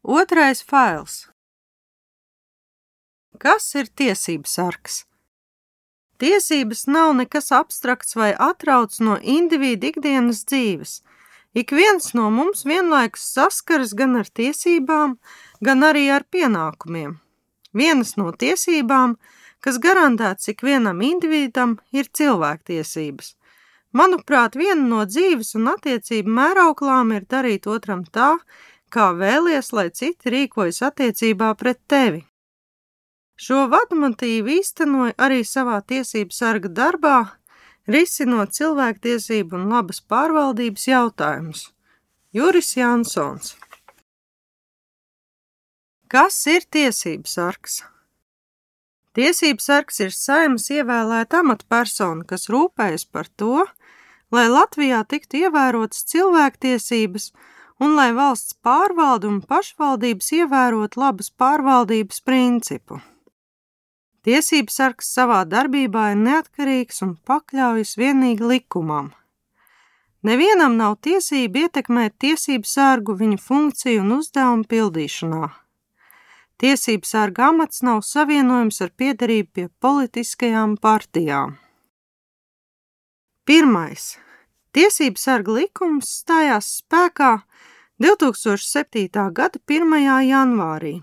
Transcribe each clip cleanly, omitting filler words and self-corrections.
Otrais fails. Kas ir tiesības sargs? Tiesības nav nekas abstrakts vai atrauts no individu ikdienas dzīves. Ik viens no mums vienlaikus saskaras gan ar tiesībām, gan arī ar pienākumiem. Vienas no tiesībām, kas garantēts ikvienam individam, ir cilvēktiesības. Manuprāt, viena no dzīves un attiecību mērauklām ir darīt otram tā, kā vēlies, lai citi rīkojas attiecībā pret tevi. Šo vadmotīvu īstenoja arī savā tiesību sarga darbā, risinot cilvēktiesību un labas pārvaldības jautājumus. Juris Jansons. Kas ir tiesības sargs? Tiesības sargs ir Saeimas ievēlēta amatpersona, kas rūpējas par to, lai Latvijā tiktu ievērotas cilvēktiesības un lai valsts pārvalde un pašvaldības ievērot labas pārvaldības principu. Tiesības sargs savā darbībā ir neatkarīgs un pakļaujas vienīgi likumam. Nevienam nav tiesība ietekmēt tiesību sargu viņa funkciju un uzdevumu pildīšanā. Tiesību sarga amats nav savienojums ar piederību pie politiskajām partijām. 1. Tiesību sarga likums stājās spēkā 2007. gada 1. janvārī,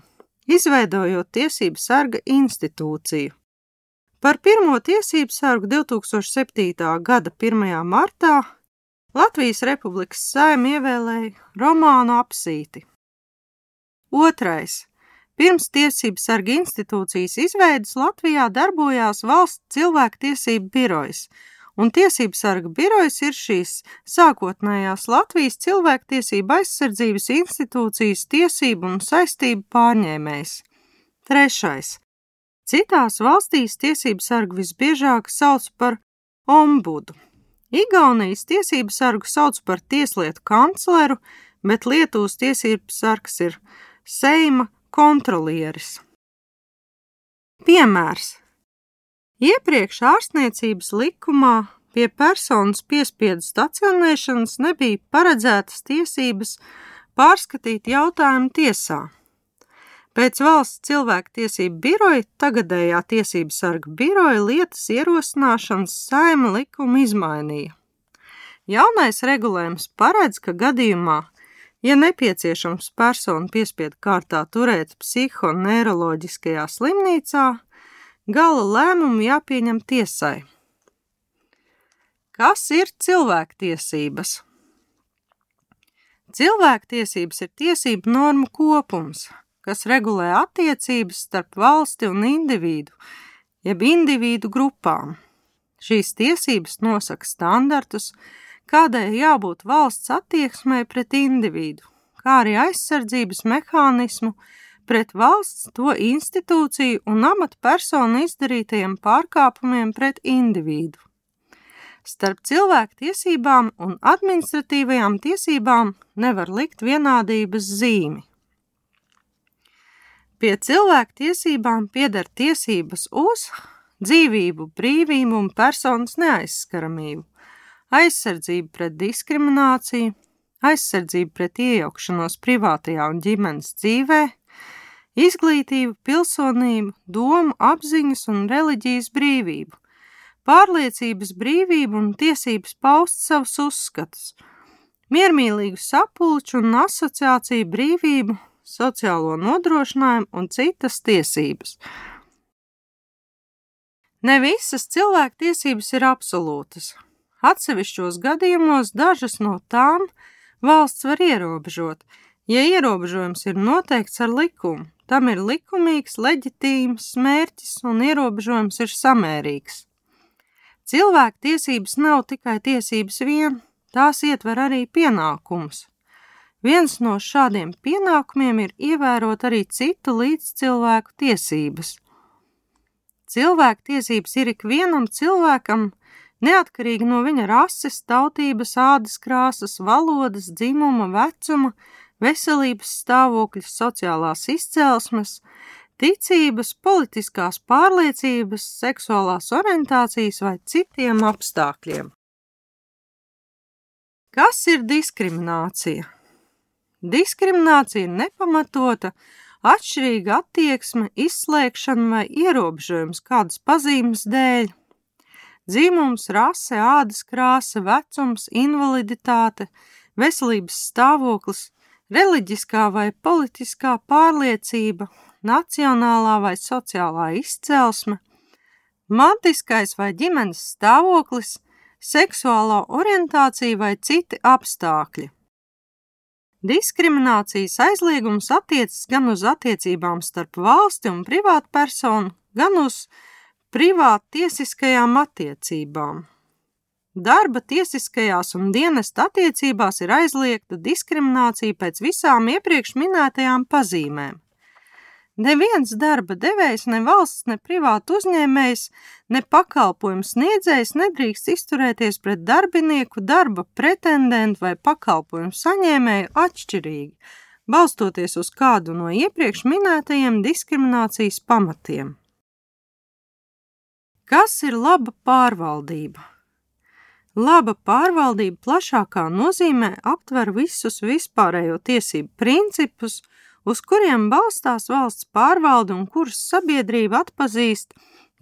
izveidojot tiesību sarga institūciju. Par pirmo tiesību sargu 2007. gada 1. martā Latvijas Republikas Saeima ievēlēja Romānu Apsīti. 2. Pirms tiesību sarga institūcijas izveides Latvijā darbojās Valsts cilvēktiesību birojs, un tiesību sarga birojs ir šīs sākotnējās Latvijas cilvēktiesību aizsardzības institūcijas tiesību un saistību pārņēmējs. 3. Citās valstīs tiesību sargu visbiežāk sauc par ombudu. Igaunijas tiesību sargu sauc par tieslietu kancleru, bet Lietuvas tiesību sargs ir Seima kontrolieris. Piemērs. Iepriekš ārstniecības likumā pie personas piespiedu stacionēšanas nebija paredzētas tiesības pārskatīt jautājumu tiesā. Pēc Valsts cilvēktiesību biroja tagadējā tiesību sarga biroja lietas ierosināšanas Saeima likumu izmainīja. Jaunais regulējums paredz, ka gadījumā, ja nepieciešams personu piespiedu kārtā turēt psihoneiroloģiskajā slimnīcā, gala lēmumu jāpieņem tiesai. Kas ir cilvēktiesības? Cilvēktiesības ir tiesību normu kopums, kas regulē attiecības starp valsti un individu, jeb individu grupām. Šīs tiesības nosaka standartus, kādai jābūt valsts attieksmei pret individu, kā arī aizsardzības mehānismu pret valsts, to institūciju un amatpersonu izdarītajiem pārkāpumiem pret individu. Starp cilvēku tiesībām un administratīvajām tiesībām nevar likt vienādības zīmi. Pie cilvēku tiesībām pieder tiesības uz dzīvību, brīvību un personas neaizskaramību, aizsardzību pret diskrimināciju, aizsardzību pret iejaukšanos privātajā un ģimenes dzīvē, izglītību, pilsonību, domu, apziņas un reliģijas brīvību, pārliecības brīvību un tiesības paust savus uzskatus, miermīlīgu sapulču un asociāciju brīvību, sociālo nodrošinājumu un citas tiesības. Ne visas cilvēktiesības ir absolūtas. Atsevišķos gadījumos dažas no tām valsts var ierobežot, ja ierobežojums ir noteikts ar likumu. Tam ir likumīgs, leģitīms mērķis un ierobežojums ir samērīgs. Cilvēktiesības nav tikai tiesības vien, tās ietver arī pienākumus. Viens no šādiem pienākumiem ir ievērot arī citu līdzcilvēku tiesības. Cilvēktiesības ir ikvienam cilvēkam, neatkarīgi no viņa rases, tautības, ādas krāsas, valodas, dzimuma, vecuma, veselības stāvokļa, sociālās izcelsmes, ticības, politiskās pārliecības, seksuālās orientācijas vai citiem apstākļiem. Kas ir diskriminācija? Diskriminācija ir nepamatota, atšķirīga attieksme, izslēgšana vai ierobežojums kādas pazīmes dēļ. Dzimums, rase, ādas krāsa, vecums, invaliditāte, veselības stāvoklis, reliģiskā vai politiskā pārliecība, nacionālā vai sociālā izcelsme, mantiskais vai ģimenes stāvoklis, seksuālā orientācija vai citi apstākļi. Diskriminācijas aizliegums attiecas gan uz attiecībām starp valsti un privātpersonu, gan uz privāttiesiskajām attiecībām. Darba tiesiskajās un dienesta attiecībās ir aizliegta diskriminācija pēc visām iepriekš minētajām pazīmēm. Neviens darba devējs, ne valsts, ne privātu uzņēmējs, ne pakalpojumu sniedzējs nedrīkst izturēties pret darbinieku, darba pretendentu vai pakalpojumu saņēmēju atšķirīgi, balstoties uz kādu no iepriekš minētajiem diskriminācijas pamatiem. Kas ir laba pārvaldība? Laba pārvaldība plašākā nozīmē aptver visus vispārējo tiesību principus, uz kuriem balstās valsts pārvalde un kurus sabiedrība atpazīst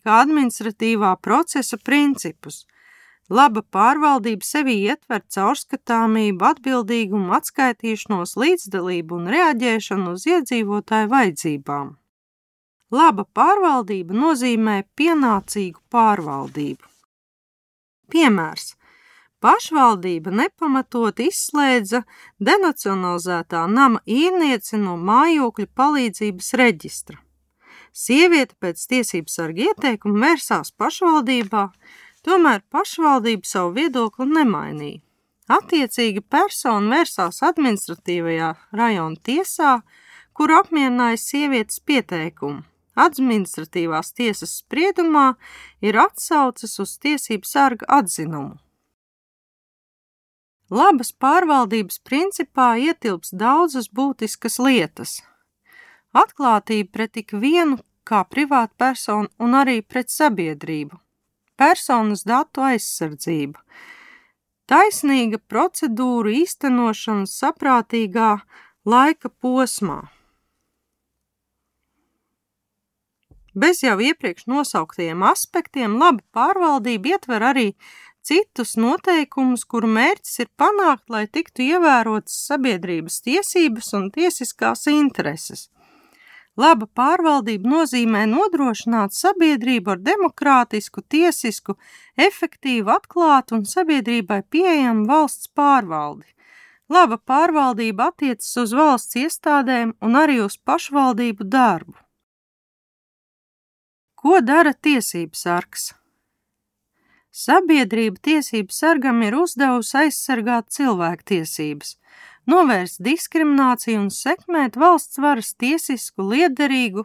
kā administratīvā procesa principus. Laba pārvaldība sevī ietver caurskatāmību, atbildīgumu, atskaitīšanos, līdzdalību un reaģēšanu uz iedzīvotāju vajadzībām. Laba pārvaldība nozīmē pienācīgu pārvaldību. Piemērs. Pašvaldība nepamatot izslēdza denacionalizētā nama īrnieci no mājokļu palīdzības reģistra. Sieviete pēc tiesības sarga ieteikuma vērsās pašvaldībā, tomēr pašvaldība savu viedokli nemainīja. Attiecīga persona vērsās administratīvajā rajona tiesā, kur apmierināja sievietes pieteikumu. Administratīvās tiesas spriedumā ir atsauces uz tiesību sarga atzinumu. Labas pārvaldības principā ietilps daudzas būtiskas lietas. Atklātība pret ikvienu kā privātpersonu un arī pret sabiedrību. Personas datu aizsardzība. Taisnīga procedūru īstenošana saprātīgā laika posmā. Bez jau iepriekš nosauktajiem aspektiem laba pārvaldība ietver arī citus noteikumus, kuru mērķis ir panākt, lai tiktu ievērotas sabiedrības tiesības un tiesiskās intereses. Laba pārvaldība nozīmē nodrošināt sabiedrību ar demokrātisku, tiesisku, efektīvu, atklātu un sabiedrībai pieejamu valsts pārvaldi. Laba pārvaldība attiecas uz valsts iestādēm un arī uz pašvaldību darbu. Ko dara tiesības sargs? Sabiedrība tiesību sargam ir uzdevusi aizsargāt cilvēktiesības, novērst diskrimināciju un sekmēt valsts varas tiesisku, liederīgu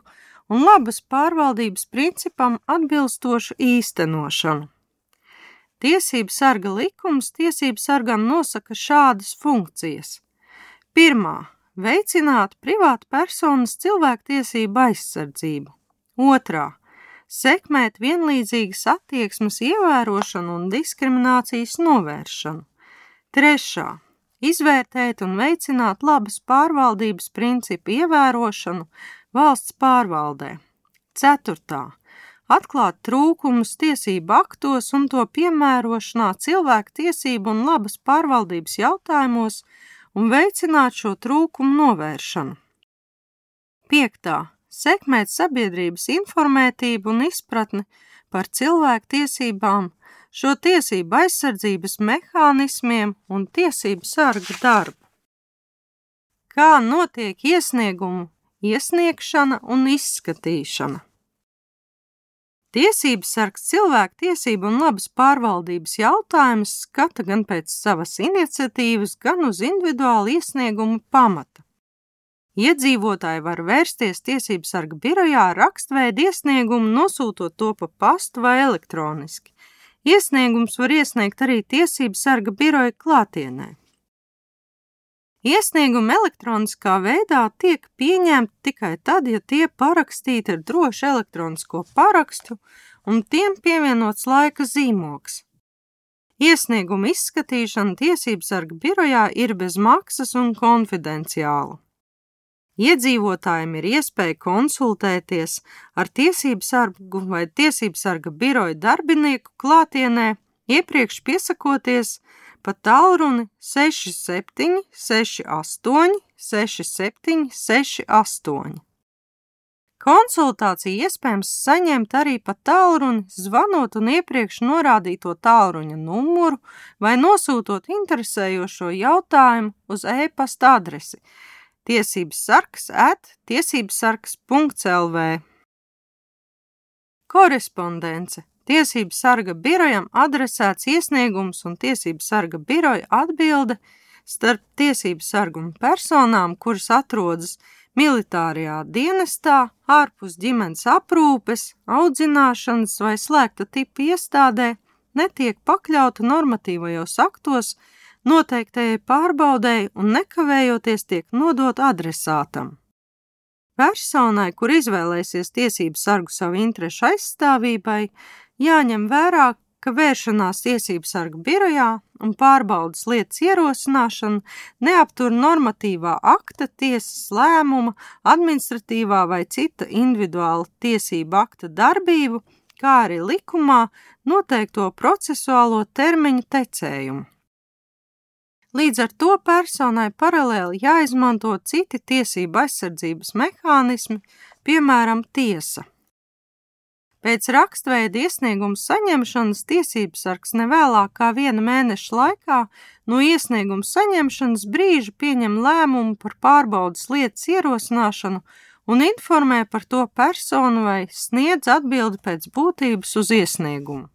un labas pārvaldības principam atbilstošu īstenošanu. Tiesību sarga likums tiesību sargam nosaka šādas funkcijas. Pirmā – veicināt privātu personas cilvēktiesību aizsardzību. Otrā – sekmēt vienlīdzīgas attieksmes ievērošanu un diskriminācijas novēršanu. Trešā – izvērtēt un veicināt labas pārvaldības principu ievērošanu valsts pārvaldē. Ceturtā – atklāt trūkumus tiesību aktos un to piemērošanā cilvēku tiesību un labas pārvaldības jautājumos un veicināt šo trūkumu novēršanu. Piektā – sekmēt sabiedrības informētību un izpratni par cilvēku tiesībām, šo tiesību aizsardzības mehānismiem un tiesību sarga darbu. Kā notiek iesniegumu iesniegšana un izskatīšana? Tiesības sargs cilvēku tiesību un labas pārvaldības jautājumus skata gan pēc savas iniciatīvas, gan uz individuālu iesniegumu pamata. Iedzīvotāji var vērsties tiesību sarga birojā ar rakstveidu iesniegumu, nosūtot to pa pastu vai elektroniski. Iesniegums var iesniegt arī tiesību sarga biroja klātienē. Iesniegumi elektroniskā veidā tiek pieņemti tikai tad, ja tie parakstīti ar drošu elektronisko parakstu un tiem pievienots laika zīmogs. Iesnieguma izskatīšana tiesību sarga birojā ir bez maksas un konfidenciāla. Iedzīvotājiem ir iespēja konsultēties ar tiesību sargu vai tiesību sarga biroja darbinieku klātienē, iepriekš piesakoties pa tālruni 67 68 67 68. Konsultāciju iespējams saņemt arī pa tālruni, zvanot un iepriekš norādīto tālruņa numuru vai nosūtot interesējošo jautājumu uz e-pasta adresi tiesībsargs@tiesībsargs.lv. Korespondence. Tiesību sarga birojam adresēts iesniegums un tiesību sarga biroja atbilde starp tiesību sargu un personām, kuras atrodas militārajā dienestā, ārpus ģimenes aprūpes, audzināšanas vai slēgta tipa iestādē, netiek pakļauta normatīvajos aktos noteiktajai pārbaudēji un nekavējoties tiek nodot adresātam. Personai, kur izvēlēsies tiesību sargu savu interešu aizstāvībai, jāņem vērā, ka vēršanās tiesību sarga birojā un pārbaudas lietas ierosināšana neaptur normatīvā akta, tiesas lēmuma, administratīvā vai cita individuāla tiesība akta darbību, kā arī likumā noteikto procesuālo termiņu tecējumu. Līdz ar to personai paralēli jāizmanto citi tiesību aizsardzības mehānismi, piemēram, tiesa. Pēc rakstveida iesnieguma saņemšanas tiesību sargs nevēlāk kā 1 mēneša laikā no iesnieguma saņemšanas brīža pieņem lēmumu par pārbaudas lietas ierosināšanu un informē par to personu vai sniedz atbildi pēc būtības uz iesniegumu.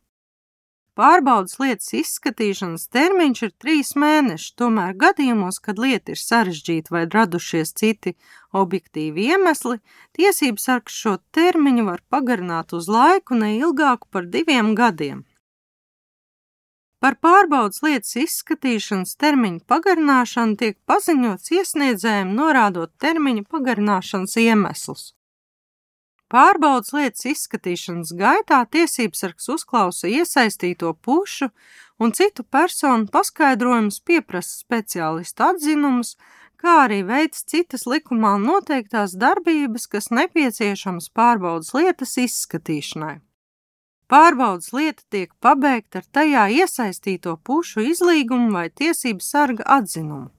Pārbaudas lietas izskatīšanas termiņš ir 3 mēneši, tomēr gadījumos, kad lieta ir sarežģīta vai radušies citi objektīvi iemesli, tiesību sargs šo termiņu var pagarināt uz laiku neilgāku par 2 gadiem. Par pārbaudas lietas izskatīšanas termiņu pagarināšanu tiek paziņots iesniedzējiem, norādot termiņu pagarināšanas iemeslus. Pārbaudas lietas izskatīšanas gaitā tiesību sargs uzklausa iesaistīto pušu un citu personu paskaidrojumus, pieprasa speciālistu atzinumus, kā arī veic citas likumā noteiktās darbības, kas nepieciešamas pārbaudas lietas izskatīšanai. Pārbaudas lieta tiek pabeigta ar tajā iesaistīto pušu izlīgumu vai tiesību sarga atzinumu.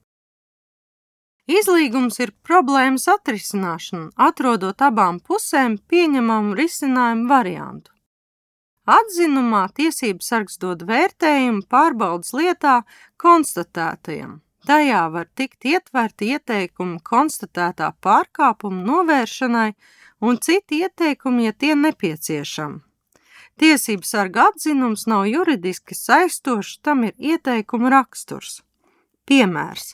Izlīgums ir problēmas atrisināšana, atrodot abām pusēm pieņemamu risinājumu variantu. Atzinumā tiesību sargs dod vērtējumu pārbaudas lietā konstatētajam. Tajā var tikt ietverti ieteikumi konstatētā pārkāpuma novēršanai un citi ieteikumi, ja tie nepieciešami. Tiesību sarga atzinums nav juridiski saistošs, tam ir ieteikuma raksturs. Piemērs.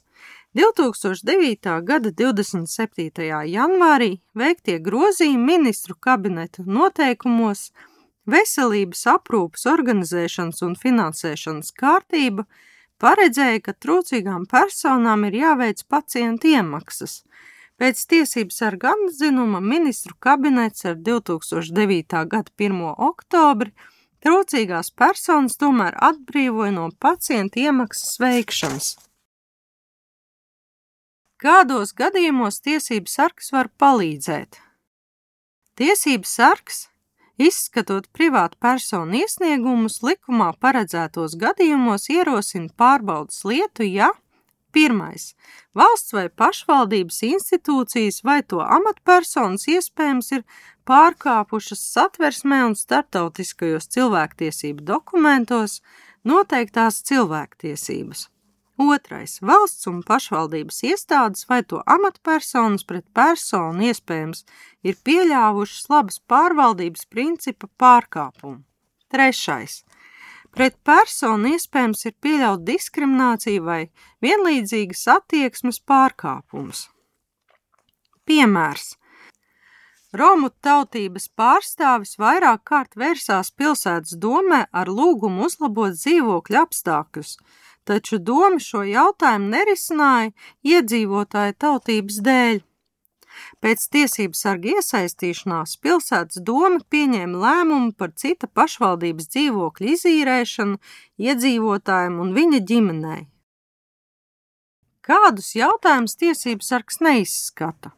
2009. gada 27. janvārī veiktie grozījumi ministru kabineta noteikumos veselības aprūpes organizēšanas un finansēšanas kārtība paredzēja, ka trūcīgām personām ir jāveic pacientu iemaksas. Pēc tiesību sarga atzinuma ministru kabinets ar 2009. gada 1. oktobri trūcīgās personas tomēr atbrīvoja no pacientu iemaksas veikšanas. Kādos gadījumos tiesību sargs var palīdzēt? Tiesību sargs, izskatot privātu personu iesniegumus, likumā paredzētos gadījumos ierosina pārbaudas lietu, ja 1. Valsts vai pašvaldības institūcijas vai to amatpersonas iespējams ir pārkāpušas Satversmē un starptautiskajos cilvēktiesību dokumentos noteiktās cilvēktiesības. 2. Valsts un pašvaldības iestādes vai to amatpersonas pret personu iespējams ir pieļāvušas labas pārvaldības principa pārkāpumu. 3. Pret personu iespējams ir pieļaut diskrimināciju vai vienlīdzīgas attieksmes pārkāpumus. Piemērs. Romu tautības pārstāvis vairāk kārt vērsās pilsētas domē ar lūgumu uzlabot dzīvokļu apstākļus, taču doma šo jautājumu nerisināja iedzīvotāju tautības dēļ. Pēc tiesību sarga iesaistīšanās pilsētas doma pieņēma lēmumu par cita pašvaldības dzīvokļu izīrēšanu iedzīvotājiem un viņa ģimenei. Kādus jautājumus tiesību sargs neizskata?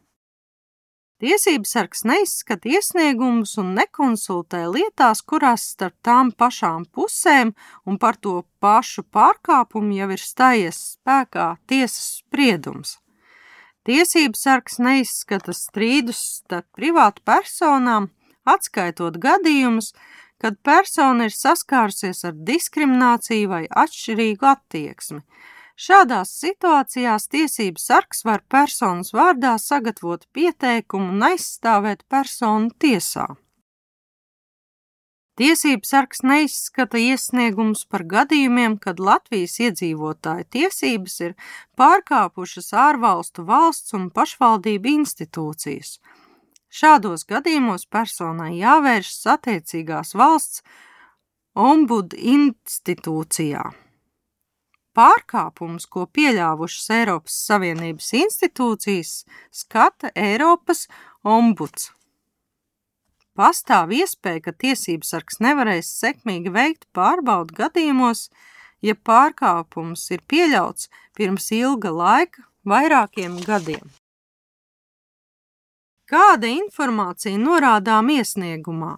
Tiesību sargs neizskata iesniegumus un nekonsultē lietās, kurās starp tām pašām pusēm un par to pašu pārkāpumu jau ir stājies spēkā tiesas spriedums. Tiesību sargs neizskata strīdus starp privātu personām, atskaitot gadījumus, kad persona ir saskārusies ar diskrimināciju vai atšķirīgu attieksmi. Šādās situācijās tiesību sargs var personas vārdā sagatavot pieteikumu un aizstāvēt personu tiesā. Tiesību sargs neizskata iesniegumus par gadījumiem, kad Latvijas iedzīvotāju tiesības ir pārkāpušas ārvalstu valsts un pašvaldību institūcijas. Šādos gadījumos personai jāvēršas attiecīgās valsts ombudu institūcijā. Pārkāpumus, ko pieļāvušas Eiropas Savienības institūcijas, skata Eiropas ombuds. Pastāv iespēja, ka tiesību sargs nevarēs sekmīgi veikt pārbaudu gadījumos, ja pārkāpums ir pieļauts pirms ilga laika, vairākiem gadiem. Kāda informācija norādām iesniegumā?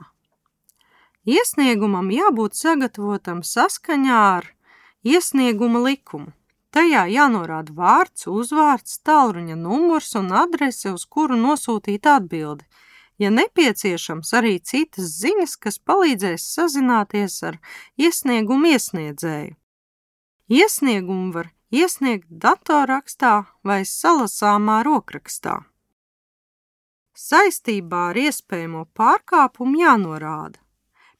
Iesniegumam jābūt sagatavotam saskaņā ar iesnieguma likumu. Tajā jānorāda vārds, uzvārds, tālruņa numurs un adrese, uz kuru nosūtīt atbildi. Ja nepieciešams, arī citas ziņas, kas palīdzēs sazināties ar iesniegumu iesniedzēju. Iesniegumu var iesniegt datorrakstā vai salasāmā rokrakstā. Saistībā ar iespējamo pārkāpumu jānorāda.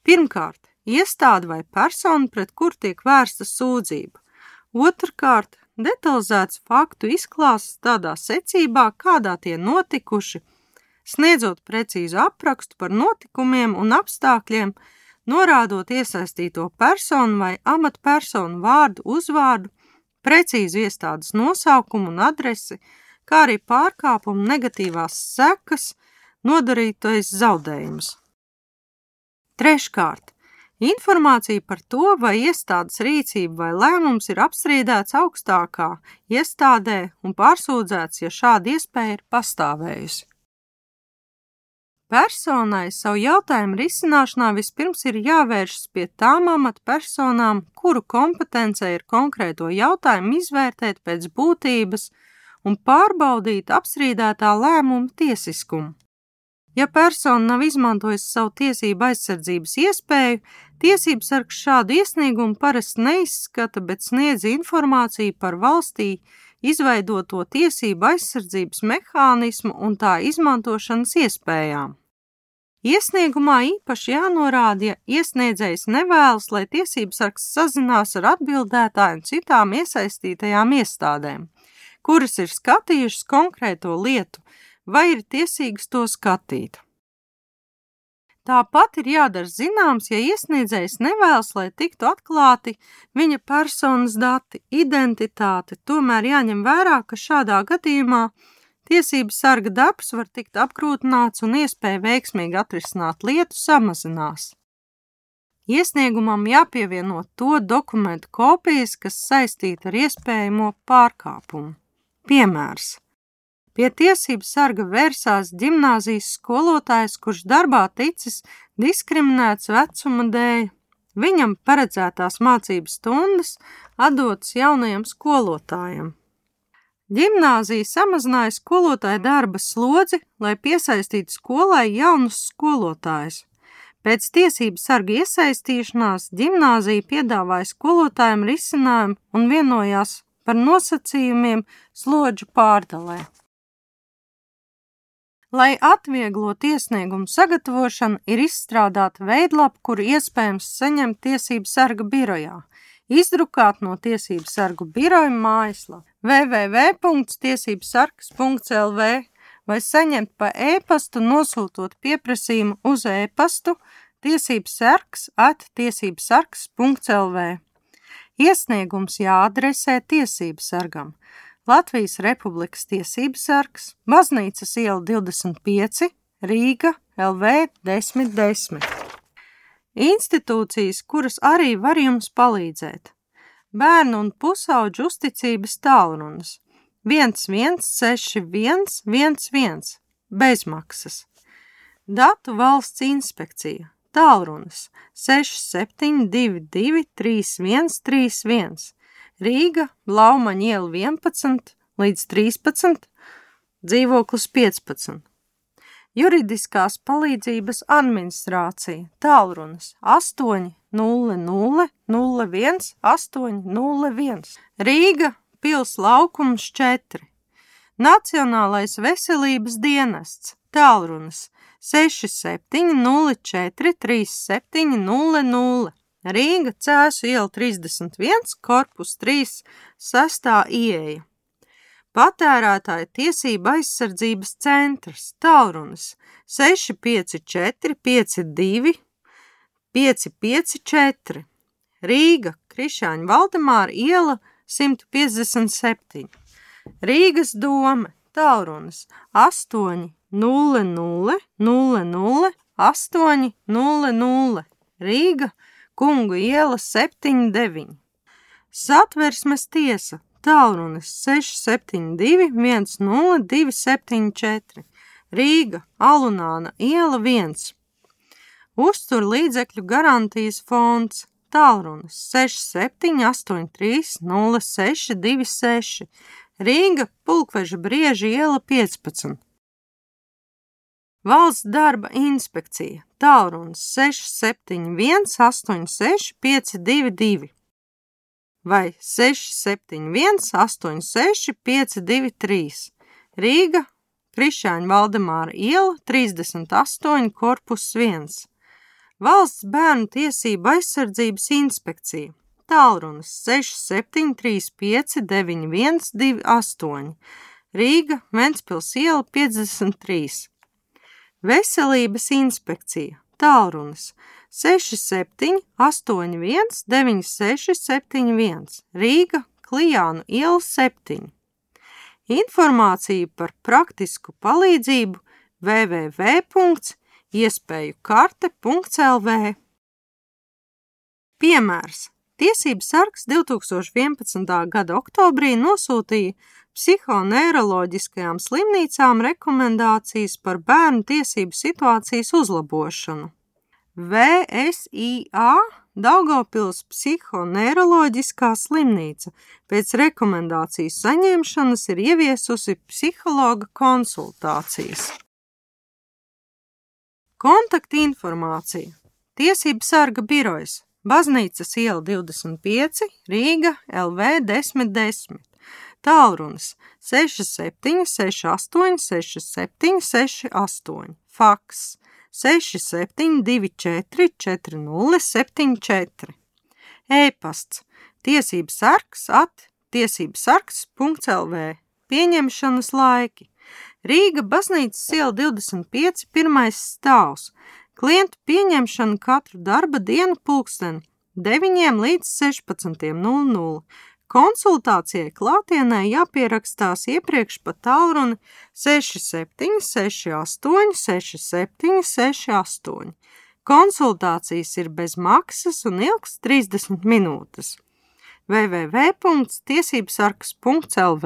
Pirmkārt, iestāde vai persona, pret kur tiek vērsta sūdzība. Otrkārt, detalizēts faktu izklāsts tādā secībā, kādā tie notikuši, sniedzot precīzu aprakstu par notikumiem un apstākļiem, norādot iesaistīto personu vai amatpersonu vārdu, uzvārdu, precīzu iestādes nosaukumu un adresi, kā arī pārkāpumu negatīvās sekas, nodarītais zaudējums. Treškārt, informācija par to, vai iestādes rīcība vai lēmums ir apstrīdēts augstākā iestādē un pārsūdzēts, ja šāda iespēja ir pastāvējusi. Personai savu jautājumu risināšanā vispirms ir jāvēršas pie tām amatpersonām, kuru kompetencē ir konkrēto jautājumu izvērtēt pēc būtības un pārbaudīt apstrīdētā lēmuma tiesiskumu. Ja persona nav izmantojusi savu tiesību aizsardzības iespēju, tiesību sargs šādu iesniegumu parasti neizskata, bet sniedz informāciju par valstī izveidoto tiesību aizsardzības mehānismu un tā izmantošanas iespējām. Iesniegumā īpaši jānorāda, ja iesniedzējs nevēlas, lai tiesību sargs sazinās ar atbildētāju un citām iesaistītajām iestādēm, kuras ir skatījušas konkrēto lietu, vai ir tiesīgas to skatīt. Tāpat ir jādara zināms, ja iesniedzējs nevēlas, lai tiktu atklāti viņa personas dati, identitāte, tomēr jāņem vērā, ka šādā gadījumā tiesību sarga darbs var tikt apgrūtināts un iespēja veiksmīgi atrisināt lietu samazinās. Iesniegumam jāpievieno to dokumentu kopijas, kas saistīta ar iespējamo pārkāpumu. Piemērs. Pie tiesību sarga vērsās ģimnāzijas skolotājs, kurš darbā ticis diskriminēts vecuma dēļ. Viņam paredzētās mācības stundas atdotas jaunajam skolotājam. Ģimnāzija samazināja skolotāju darba slodzi, lai piesaistītu skolai jaunus skolotājus. Pēc tiesību sarga iesaistīšanās ģimnāzija piedāvāja skolotājiem risinājumu un vienojās par nosacījumiem slodžu pārdalē. Lai atvieglot iesniegumu sagatavošanu, ir izstrādāta veidlapa, kuru iespējams saņemt tiesību sarga birojā, izdrukāt no tiesību sargu biroja mājaslapa www.tiesībsargs.lv vai saņemt pa e-pastu, nosūtot pieprasījumu uz e-pastu tiesībsargs@tiesībsargs.lv. Iesniegums jāadresē tiesību sargam. Latvijas Republikas tiesības sargs, Baznīcas iela 25, Rīga, LV 1010. Institūcijas, kuras arī var jums palīdzēt. Bērnu un pusauģu uzticības tālrunis 116111, bezmaksas. Datu valsts inspekcija, tālrunis 67223131, Rīga, Blaumaņa iela 11 līdz 13, dzīvoklis 15. Juridiskās palīdzības administrācija, tālrunis 80001 Rīga, Pils laukums 4. Nacionālais veselības dienests, tālrunis 67043700, Rīga, Cēsu iela 31, korpus 3, 6. ieeja. Patērētāja tiesība aizsardzības centrs, tālrunis 654525554, Rīga, Krišāņa Valdemāra iela 157, Rīgas dome, tālrunis 800000800, Rīga, Kungu iela 79, Satversmes tiesa, tālrunis 6721024, Rīga, Alunāna iela 1, Uzturlīdzekļu garantijas fonds, tālrunis 67830626, Rīga, Pulkveža Brieža iela 15. Valsts darba inspekcija, tālrunis 6718652 vai 671865223, Rīga, Krišāņa Valdemāra iela 38, korpus 1. Valsts bērnu tiesību aizsardzības inspekcija, tālrunis 67359128, Rīga, Ventspils iela 53. Veselības inspekcija, tālrunis 67819671, Rīga, Klijānu iela 7. Informācija par praktisku palīdzību www.iespējukarte.lv. Piemērs. Tiesības sargs 2011. gada oktobrī nosūtīja psihoneiroloģiskajām slimnīcām rekomendācijas par bērnu tiesību situācijas uzlabošanu. VSIA Daugavpils psihoneiroloģiskā slimnīca pēc rekomendācijas saņemšanas ir ieviesusi psihologa konsultācijas. Kontaktinformācija. Tiesību sarga birojas, Baznīcas iela 25, Rīga, LV 1010. Tālrunis 67686768, faks 67244074, e-pasts tiesībsargs@tiesībsargs.lv, pieņemšanas laiki, Rīga, Baznīcas iela 25, 1. stāvs, klientu pieņemšana katru darba dienu pulksteni 9 līdz 16:00. Konsultācijai klātienē jāpierakstās iepriekš pa tālruni 67686768. Konsultācijas ir bez maksas un ilgs 30 minūtes. www.tiesībsargs.lv